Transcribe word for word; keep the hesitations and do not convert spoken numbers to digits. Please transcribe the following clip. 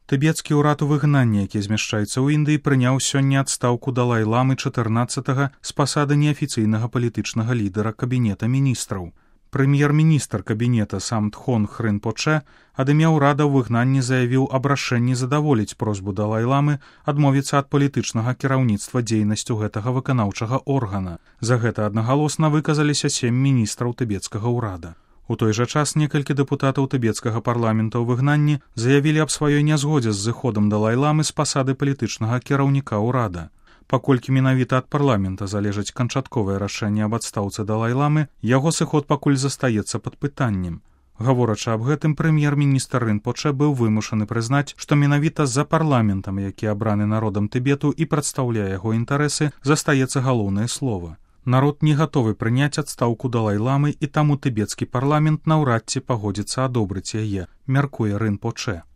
Тыбецкі ўрад у выгнанні, які змяшчаецца ў Індыі, прыняў сёння адстаўку Далай-ламы чатырнаццатага з пасады неафіцыйнага палітычнага лідара кабінета міністраў. Прэм'ер-міністр кабінета Самдхон Рынпочэ ад імя ўрада ў выгнанні заявіў аб рашэнні задаволіць просьбу Далай-ламы адмовіцца ад палітычнага кіраўніцтва дзейнасцю гэтага выканаўчага органа. За гэта аднагалосна выказаліся сем міністраў тыбецкага ўрада. У той жа час некалькі дэпутатаў тыбецкага парламента ў выгнанні заявілі аб сваёй нязгодзе з зыходам Далай-ламы з пасады палітычнага кіраўніка ўрада. Паколькі менавіта ад парламента залежыць канчатковае рашэнне аб адстаўцы Далай-ламы, яго сыход пакуль застаецца пад пытаннем. Гаворачы аб гэтым, прэм'ер-міністр Рынпочэ быў вымушаны прызнаць, што менавіта за парламентам, які абраны народам Тыбету і прадстаўляе яго інтарэсы, застаецца галоўнае слова. Народ не гатовы прыняць адстаўку Далай-ламы, і таму тыбецкі парламент наўрад ці пагодзіцца адобрыць яе, мяркуе Рынпочэ.